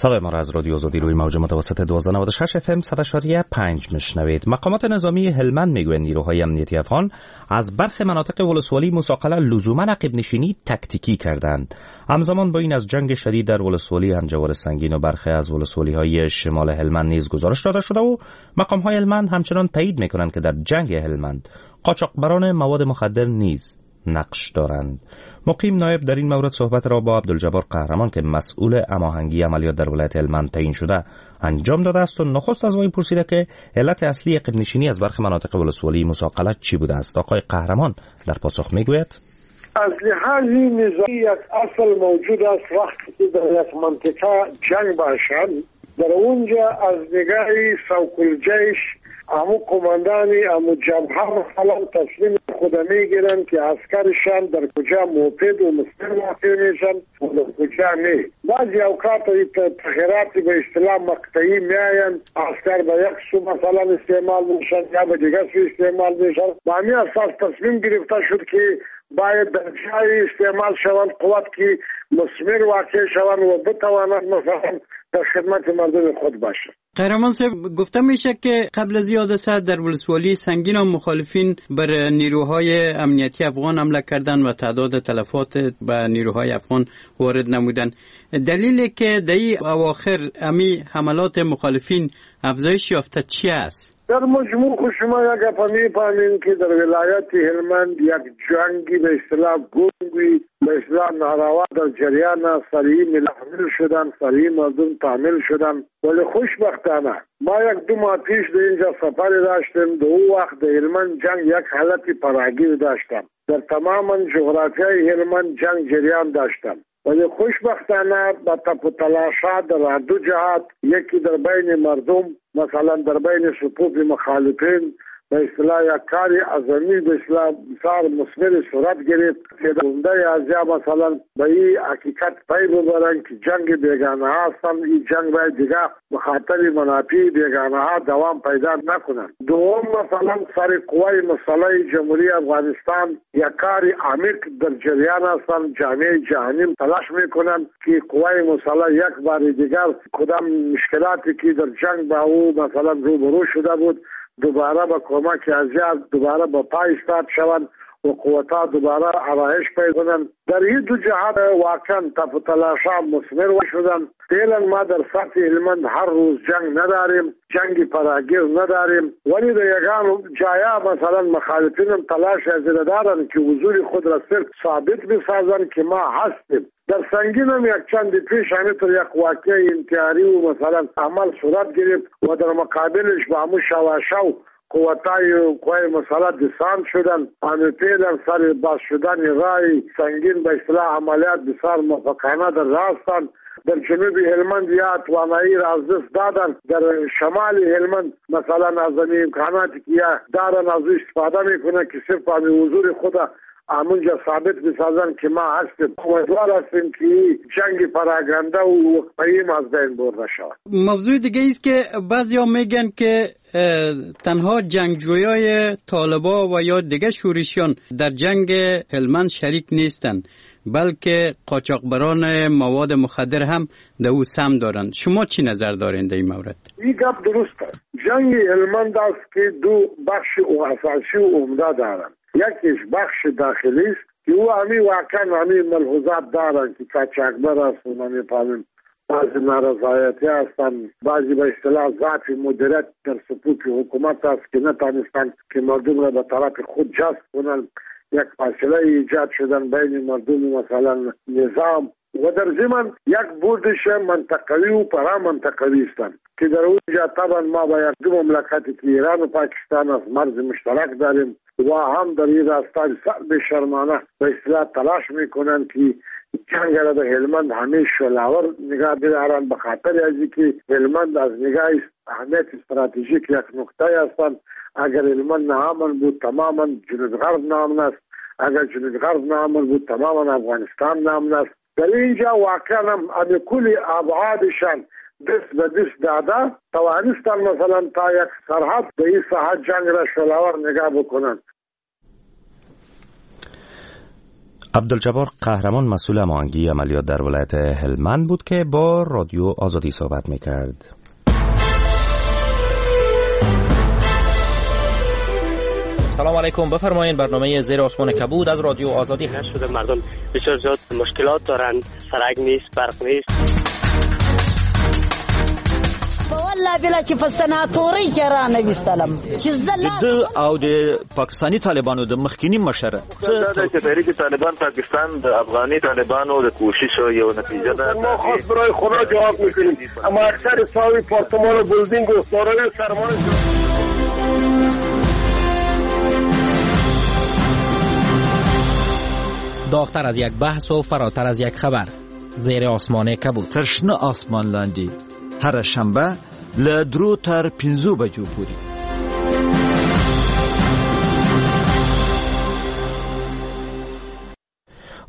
صدای ما را از رادیو آزادی روی موج متوسط 1296 اف ام 100.5 میشنوید. مقامات نظامی هلمند میگویند نیروهای امنیتی افغان از برخی مناطق ولسوالی موسی قلعه لزوما عقب نشینی تکتیکی کردند. همزمان با این از جنگ شدید در ولسوالی همجوار سنگین و برخی از ولسوالی‌های شمال هلمند نیز گزارش داده شده و مقام‌های هلمند همچنان تایید میکنند که در جنگ هلمند قاچاقبران مواد مخدر نیز نقش دارند. مقیم نایب در این مورد صحبت را با عبدالجبار قهرمان که مسئول هماهنگی عملیات در ولایت هلمند تعیین شده انجام داده است و نخست از وی پرسیده که علت اصلی عقب نشینی از برخی مناطق ولسوالی موسی قلعه چی بوده است. آقای قهرمان در پاسخ میگوید: از لحاظ نظامی یک اصل موجود است، وقتی که در یک منطقه جنگ باشد در اونجا از نگاه سوق الجیش امو کماندانی امو جبهه مثلا تصمیم خود میگیرن که عسکرشان در کجا مفید و مسلم واقع میشن و در کجا نه. بعضی اوقات تغییرات به اصطلاح مقطعی میآیند، عسکر به یک سو مثلا استعمال میشن یا به دیگر سو استعمال میشن. با همین اساس تصمیم گرفته شد که باید در جای استعمال شوند قوت که مثمر واقع شوند و بتوانند مثلا در خدمت مردم خود باشند. قهرمان صاحب، گفته میشه که قبل از حادثه در ولسوالی سنگین و مخالفین بر نیروهای امنیتی افغان حمله کردند و تعداد تلفات به نیروهای افغان وارد نمودند. دلیلی که در این اواخر امی حملات مخالفین افزایش یافته چی است؟ در مجموع خو شما یک گپ میفهمین که در ولایت هلمند یک جنگی به اصطلاح گنگی به اصطلاح ناروا در جریان است. سریع ملحمل شدن، سریع مردم تحمیل شدن، ولی خوشبختانه ما یک دو ماه پیش در اینجا سفر داشتیم. در او وقت در هلمند جنگ یک حالت پراگیر داشتم. در تمام جغرافیای هلمند جنگ جریان داشتم. ولی خوشبختانه با تپ و تلاشات در دو جهات، یکی در بین مردم، مثلا در بین صفوف مخالفین، به اصطلاح یک کار اعظمی به اصطلاح بسیار مثمر صورت گرفت که عمده ازیا مثلا به این حقیقت پی ببرند که جنگ بیگانه ها هستند، این جنگ باید دیگه به خاطر منافع بیگانه ها دوام پیدا نکنند. دوم مثلا سر قوای مسلح جمهوری افغانستان یک کار عمیق در جریان هستند. جامعه جهانی تلاش میکنند که قوای مسلح یک بار دیگر کدام مشکلاتی که در جنگ با او مثلا روبرو شده بود دوباره با کمک ازیا دوباره با پای ایستاد شوند و قوتها دوباره آرایش پیدا کنند. در این دو جهت واقعا تپ و تلاش‌ها مثمر شدند. فعلا ما در سطح هلمند هر روز جنگ نداریم، جنگ فراگیر نداریم، ولی در یگان جایا مثلا مخالفین هم تلاش از دارند که حضور خود را صرف ثابت بسازند که ما هستیم. در سنگین هم یک چند پیش همینطور یک واقعه انتحاری و مثلا عمل صورت گرفت و در مقابلش با همون شواشو قوتای قوای مسلح دسان شدن. همه فعلا سر باز شدن رای سنگین به اصطلاح عملیات بسیار موفقانه در راستند. در جنوب هلمند یا توانایی را از دست دادن، در شمال هلمند مثلا از امکاناتی که دارن از او استفاده میکنن که صرف همین حضور خود همونجا ثابت بسازن که ما هستیم. امیدوار هستیم که جنگ پراگنده و وقفه‌ای از بین برده شود. موضوع دیگه است که بعضیا میگن که تنها جنگجویای طالبا و یا دیگه شورشیان در جنگ هلمند شریک نیستند، بلکه قاچاقبران مواد مخدر هم در او سهم دارند. شما چی نظر دارین در این مورد؟ این گپ درست است. جنگ هلمند است که دو بخش اساسی و عمده دارند. یکیش بخش داخلی است که او همی واقعا همی ملحوظات دارند که قاچاقبر است و نمیفهمیم بعضی نارضایتی هستند، بعضی به اصطلاح ضعف مدیریت در صفوف حکومت است که نتانستند که مردم را به طرف خود جذب کنند. یک فاصله ایجاد شدن بین مردم مثلا نظام و در ضمن یک بردش منطقوی و پرا منطقوی هستند که در اونجا طبعا ما با یک دو مملکتی که ایران و پاکستان از مرز مشترک داریم و هم در این راستا بسیار بی‌شرمانه به اصطلاح تلاش میکنند که جنگ را در هلمند همیشه شعله‌ور نگاه بدارند، به خاطر از اینکه هلمند از نگاه اهمیت استراتژیک یک نقطه هستند. اگر هلمند ناامن بود تماما جنوب غرب ناامن است، اگر جنوب غرب ناامن بود تماما افغانستان ناامن است. در اینجا واقعا هم کل ابعادشان دست به دست داده توانستند مثلا تا یک سرحد به این ساحت جنگ را شعله‌ور نگاه بکنند. عبدالجبار قهرمان مسئول هماهنگی عملیات در ولایت هلمند بود که با رادیو آزادی صحبت میکرد. سلام علیکم، بفرمایین برنامه زیر آسمان کبود از رادیو آزادی هست. شده مردم بسیار زیاد مشکلات دارند، سرک نیست، برق نیست. والله بلا چې په سناتوري کې را نه وستلم چې زه او د پاکستاني طالبانو د مخکینی مشر چې تحریک طالبان پاکستان د افغاني طالبانو د کوشش یو نتیجه ده. ما خاص برای خدا جواب میکنیم، اما اکثر ساوی پارتمان و بلدینگ و دارای سرمایه. داغ‌تر از یک بحث و فراتر از یک خبر، زیر آسمان کبود. تر شنه آسمان لاندې هره شنبه له 3 تر 5 بجو پورې.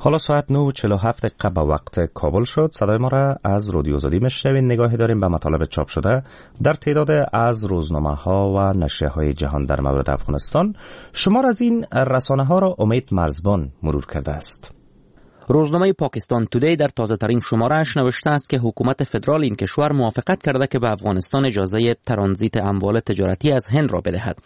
حالا ساعت 9:47 دقیقه به وقت کابل شد. صدای ما را از رادیو آزادی میشنوین. نگاهی داریم به مطالب چاپ شده در تعداد از روزنامه ها و نشریه های جهان در مورد افغانستان. شمار از این رسانه ها را امید مرزبان مرور کرده است. روزنامه پاکستان تودی در تازه ترین شماره‌اش نوشته است که حکومت فدرال این کشور موافقت کرده که به افغانستان اجازه ترانزیت اموال تجارتی از هند را بدهد.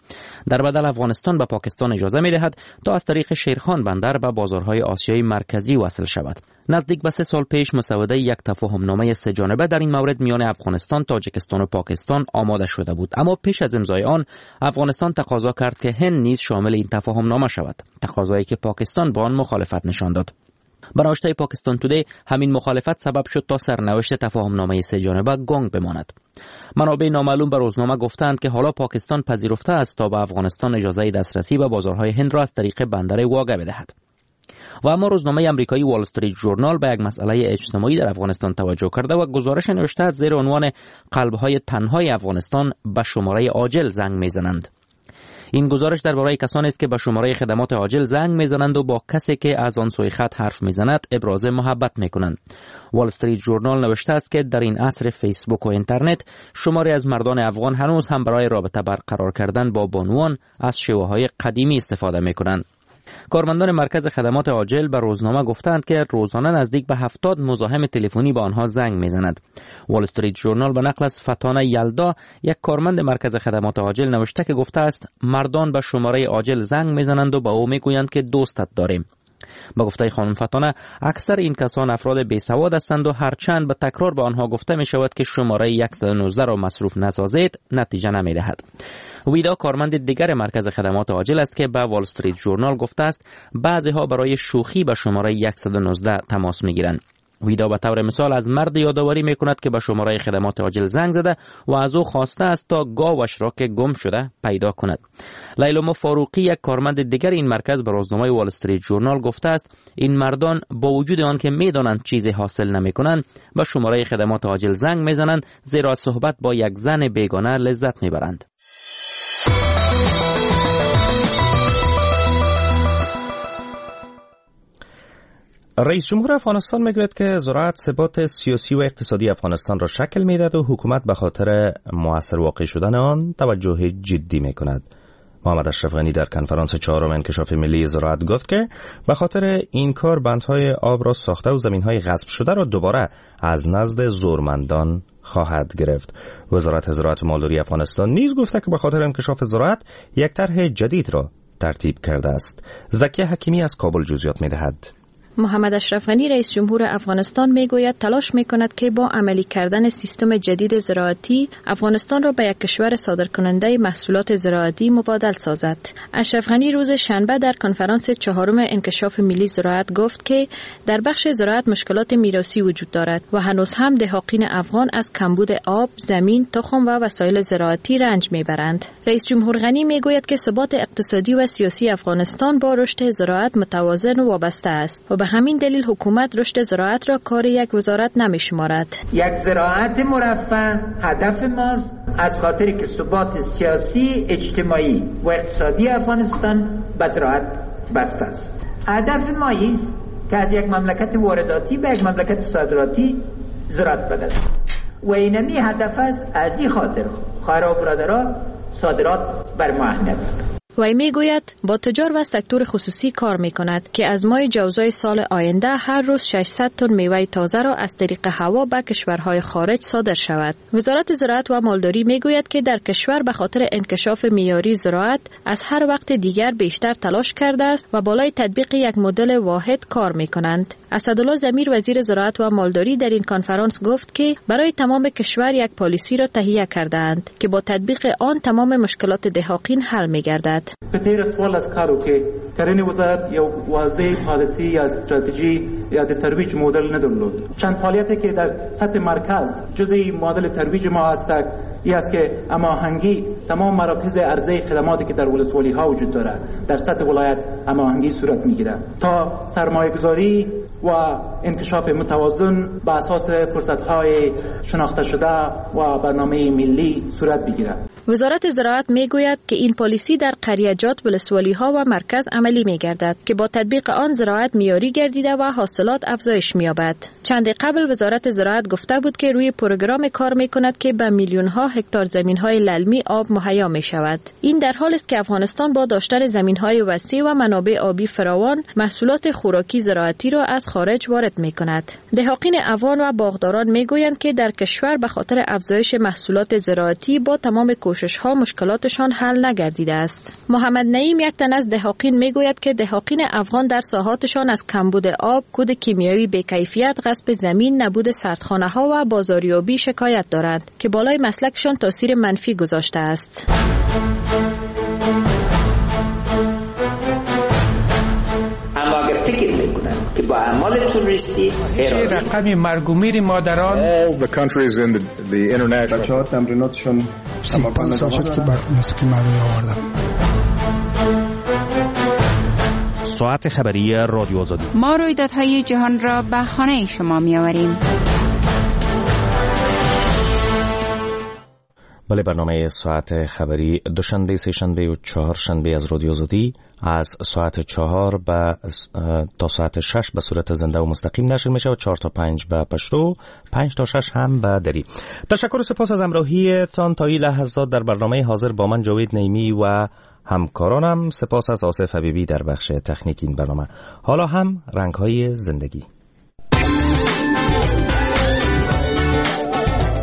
در بدل افغانستان به پاکستان اجازه می‌دهد تا از طریق شیرخان بندر به بازارهای آسیای مرکزی وصل شود. نزدیک به 3 سال پیش مسوده یک تفاهمنامه سه جانبه در این مورد میان افغانستان، تاجیکستان و پاکستان آماده شده بود، اما پیش از امضای آن افغانستان تقاضا کرد که هند نیز شامل این تفاهمنامه شود، تقاضایی که پاکستان با آن مخالفت نشان داد. بنوشته پاکستان تودی همین مخالفت سبب شد تا سرنوشت تفاهمنامه سه جانبه گنگ بماند. منابع نامعلوم به روزنامه گفتند که حالا پاکستان پذیرفته است تا به افغانستان اجازه دسترسی به بازارهای هند را از طریق بندر واگه بدهد. و اما روزنامه امریکایی وال استریت ژورنال به یک مسئله اجتماعی در افغانستان توجه کرده و گزارش نوشته از زیر عنوان قلب‌های تنهای افغانستان به شماره عاجل زنگ می‌زنند. این گزارش درباره کسانی است که به شماره خدمات عاجل زنگ میزنند و با کسی که از آن سوی خط حرف میزند ابراز محبت میکنند. وال استریت ژورنال نوشته است که در این عصر فیسبوک و اینترنت شماری از مردان افغان هنوز هم برای رابطه برقرار کردن با بانوان از شیوه های قدیمی استفاده میکنند. کارمندان مرکز خدمات عاجل به روزنامه گفتند که روزانه نزدیک به 70 مزاحم تلفنی به آنها زنگ میزند. وال استریت ژورنال به نقل از فتانه یلدا، یک کارمند مرکز خدمات عاجل، نوشته که گفته است مردان به شماره عاجل زنگ میزنند و به او میگویند که دوستت داریم. به گفته خانم فتانه، اکثر این کسان افراد بی سواد هستند و هرچند به تکرار به آنها گفته می شود که شماره 119 را مصروف نسازید، نتیجه نمی دهد. ویدا کارمند دیگر مرکز خدمات عاجل است که به وال استریت ژورنال گفته است بعضی ها برای شوخی به شماره 119 تماس میگیرند. ویدا به طور مثال از مرد یادآوری میکند که به شماره خدمات عاجل زنگ زده و از او خواسته است تا گاوش را که گم شده پیدا کند. لیلما فاروقی، یک کارمند دیگر این مرکز، به روزنامه وال استریت ژورنال گفته است این مردان با وجود آن که میدانند چیزی حاصل نمیکنند، به شماره خدمات عاجل زنگ میزنند، زیرا صحبت با یک زن بیگانه لذت میبرند. رئیس جمهور افغانستان میگوید که زراعت ثبات سیاسی و اقتصادی افغانستان را شکل میدهد و حکومت به خاطر موثر واقع شدن آن توجه جدی میکند. محمد اشرف غنی در کنفرانس چهارم انکشاف ملی زراعت گفت که به خاطر این کار بندهای آب را ساخته و زمینهای غصب شده را دوباره از نزد زورمندان خواهد گرفت. وزارت زراعت و مالداری افغانستان نیز گفته که به خاطر انکشاف زراعت یک طرح جدید را ترتیب کرده است. زکیه حکیمی از کابل جزئیات میدهد. محمد اشرف غنی، رئیس جمهور افغانستان، میگوید تلاش میکند که با عملی کردن سیستم جدید زراعتی افغانستان را به یک کشور صادرکننده محصولات زراعتی مبادل سازد. اشرف غنی روز شنبه در کنفرانس چهارم انکشاف ملی زراعت گفت که در بخش زراعت مشکلات میراثی وجود دارد و هنوز هم دهاقین افغان از کمبود آب، زمین، تخم و وسایل زراعتی رنج میبرند. رئیس جمهور غنی میگوید که ثبات اقتصادی و سیاسی افغانستان با رشد زراعت متوازن و وابسته است و به همین دلیل حکومت رشد زراعت را کار یک وزارت نمی شمارد. یک زراعت مرفه هدف ماست، از خاطر که ثبات سیاسی، اجتماعی و اقتصادی افغانستان به زراعت بسته است. هدف ما است که از یک مملکت وارداتی به یک مملکت صادراتی زراعت بدل و اینمی هدف است. از این خاطر خواهرها و برادرها، صادرات بر ما اهمیت دارد. وی میگوید با تجار و سکتور خصوصی کار می کند که از ماه جوزای سال آینده هر روز 600 تن میوه تازه را از طریق هوا به کشورهای خارج صادر شود. وزارت زراعت و مالداری میگوید که در کشور به خاطر انکشاف معیاری زراعت از هر وقت دیگر بیشتر تلاش کرده است و بالای تطبیق یک مدل واحد کار می کنند. اسدالله ضمیر، وزیر زراعت و مالداری، در این کنفرانس گفت که برای تمام کشور یک پالیسی را تهیه کردند که با تطبیق آن تمام مشکلات دهاقین حل می گردد. په تیر 14 کالو کې کرنې وزارت یو واضح پالیسی یا استراتژی یا د ترویج مدل نه درلود. چند فعالیتی که در سطح مرکز جزئی مدل ترویج ما هست ای است که هماهنگی تمام مراکز عرضه خدماتی که در ولسوالی ها وجود دارد در سطح ولایت هماهنگی صورت میگیرد تا سرمایه گذاری و انکشاف متوازن به اساس فرصت های شناخته شده و برنامه ملی صورت بگیرد. وزارت زراعت میگوید که این پالیسی در قریه‌جات، ولسوالی ها و مرکز عملی می گردد که با تطبیق آن زراعت معیاری گردیده و حاصلات افزایش می‌یابد. چند قبل وزارت زراعت گفته بود که روی پروگرام کار می کند که به میلیون ها هکتار زمین های للمی آب مهیا می شود. این در حال است که افغانستان با داشتن زمین های وسیع و منابع آبی فراوان محصولات خوراکی زراعتی را از خارج وارد می کند. دهاقین افغان و باغداران می گویند که در کشور به خاطر افزایش محصولات زراعتی با تمام کوشش ها مشکلاتشان حل نگردیده است. محمد نعیم، یک تن از دهاقین، میگوید که دهاقین افغان در ساحاتشان از کمبود آب، کود کیمیایی بی‌کیفیت، غصب زمین، نبود سردخانه ها و بازاریابی شکایت دارند که بالای مسلکشان تاثیر منفی گذاشته است. اما اگر فکر میکنن که با اعمال تروریستی رقم مرگ و میر مادران All the countries in the international بچه ها تمریناتشون 35 سال شد که بر موسیقی مردمی آوردم. ساعت خبری رادیو آزادی. ما رویدادهای جهان را به خانه شما می‌آوریم. بله، برنامه ساعت خبری دوشنبه، سه‌شنبه و چهارشنبه از رادیو آزادی از ساعت 4 تا ساعت 6 به صورت زنده و مستقیم نشر میشه و 4 تا 5 به پشتو، 5 تا 6 هم به دری. تشکر و سپاس از همراهیتان تا این لحظات در برنامه حاضر با من جاوید نعیمی و همکارانم. سپاس از آصف حبیبی در بخش تکنیک این برنامه. حالا هم رنگ‌های زندگی.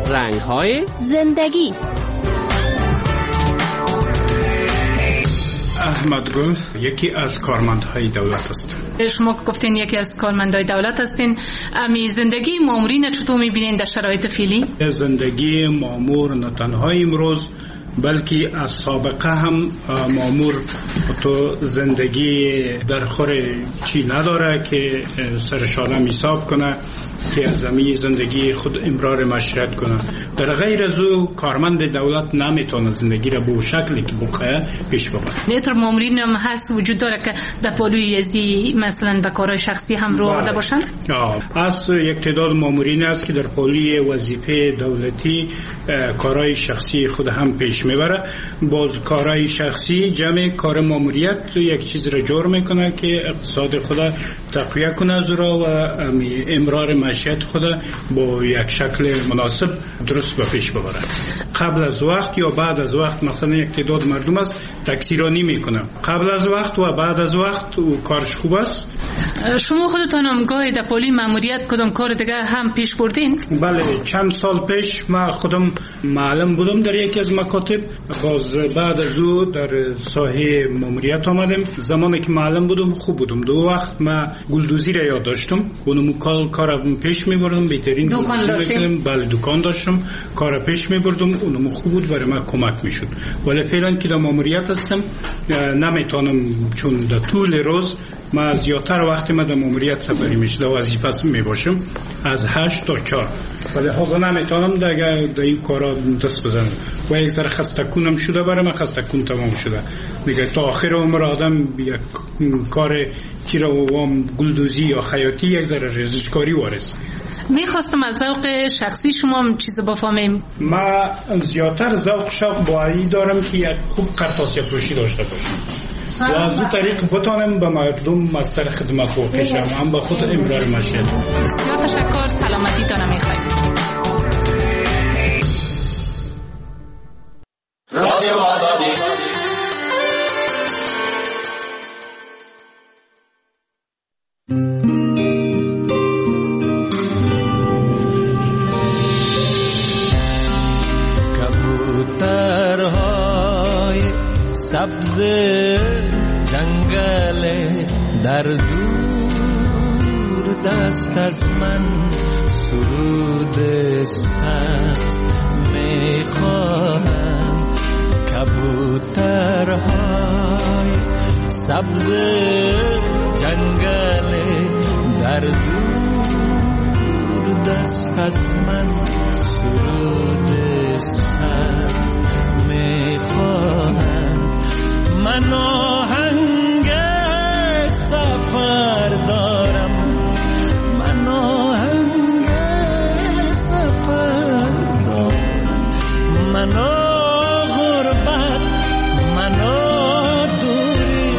رنگ‌های زندگی. احمد گل یکی از کارمندهای دولت است. شما گفتین یکی از کارمندهای دولت هستین. امی زندگی مامورین چطور می‌بینین در شرایط فعلی؟ زندگی مامور نه تنها امروز بلکه از سابقه هم مامور تو زندگی در خور چی نداره که سرشانه حساب کنه که از زمین زندگی خود امرار معاشرت کنه. در غیر از او کارمند دولت نمیتونه زندگی را به شکلی که بخواه پیش ببره. نیتر مامورین هم هست وجود داره که در پالوی ازی مثلا به کارهای شخصی هم رو آورده باشن؟ از یک تعداد مامورین است که در پالوی وظیفه دولتی کارهای شخصی خود هم پیش میبره. باز کارهای شخصی جمع کار ماموریت یک چیز را جور میکنه که اقتصاد خود تقویه کنه از را و امرار معیشت خود با یک شکل مناسب درست به پیش ببره. قبل از وقت یا بعد از وقت مثلا یک تعداد مردم است تکثیرانی میکنه، قبل از وقت و بعد از وقت و کارش خوب است. شما خودتان هم گاهی در پالی ماموریت کدام کار دیگه هم پیش بردین؟ بله، چند سال پیش ما خودم معلم بودم در یکی از مکاتب. باز بعد از او در ساحه ماموریت آمدم. زمانی که معلم بودم خوب بودم. دو وقت ما گلدوزی را یاد داشتم، اونم کار پیش می‌بردم، بهترین دکان داشتم. بله دکان داشتم، کار پیش می‌بردم، اونم خوب بود، برای من کمک می‌شد. ولی فعلا که در ماموریت هستم نمیتونم، چون در طول روز ما زیادتر وقت ما در ماموریت سپری میشه، در وظیفه میباشم از 8 تا 4. ولی حالا نمیتونم دیگه در این کارا دست بزنم و یک ذره خستکونم شده، برای من خستکون تمام شده دیگه. تا آخر عمر آدم یک کار چی را وام گلدوزی یا خیاطی یک ذره ریزشکاری وارث. میخواستم از ذوق شخصی شما هم چیز بفهمیم. ما زیادتر ذوق شوق باید دارم که یک خوب قرطاسیه فروشی داشته باشم و از اون طریق بتانم به مردم مستر خدمت واقع شم، هم به خود امرار معیشت. بسیار تشکر، سلامتی تانه میخوایم. رادیو آزادی. کبوترهای سبز جنگل در دور دست از من سرود سبز میخوانند. کبوترهای سبز جنگل در دور دست از من سرود سبز میخوانند. من آهنگ سفر دارم، من آهنگ سفر دارم، من غربت، من دوری،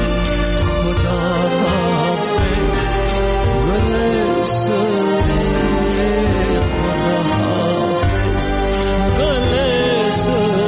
خدا حافظ گل سوری، خدا حافظ گل سوری.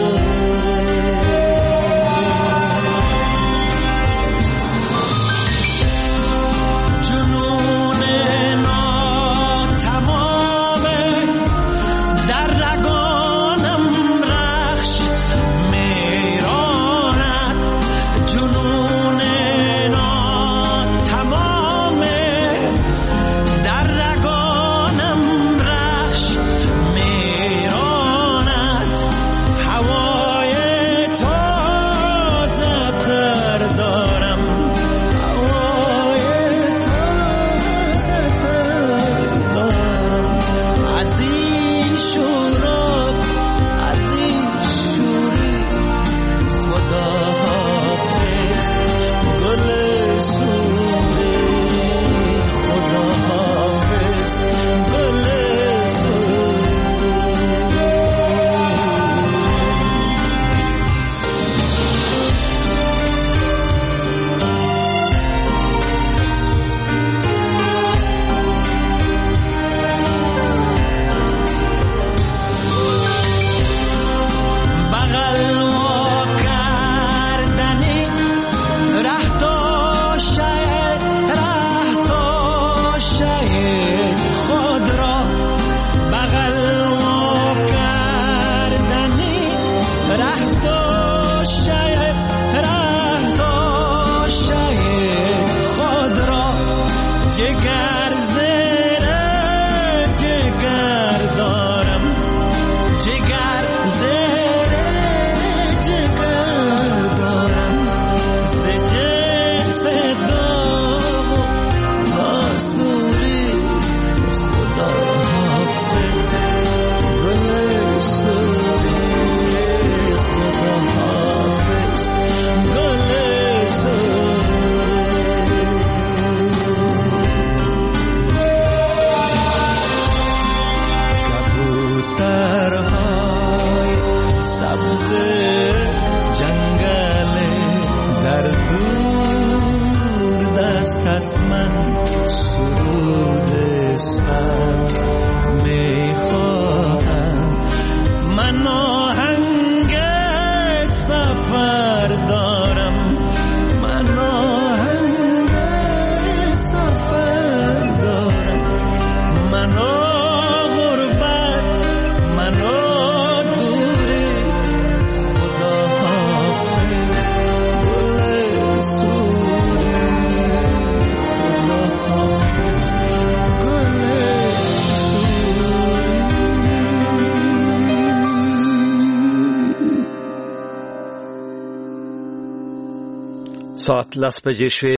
جگر زیر جگر دارم، جگر زیر جگر دارم، ز جنس داغ و ناسوری. خدا حافظ گل سوری، خدا حافظ گل سوری. کبوترهای سبز جنگل در دور دست از من سرود سبز میخواهم. من آهنگ سفر دارم، من آهنگ سفر دارم، من غربت، من دوری. خدا حافظ گل سوری، خدا حافظ گل سوری. ساعت 10 بجې شوې.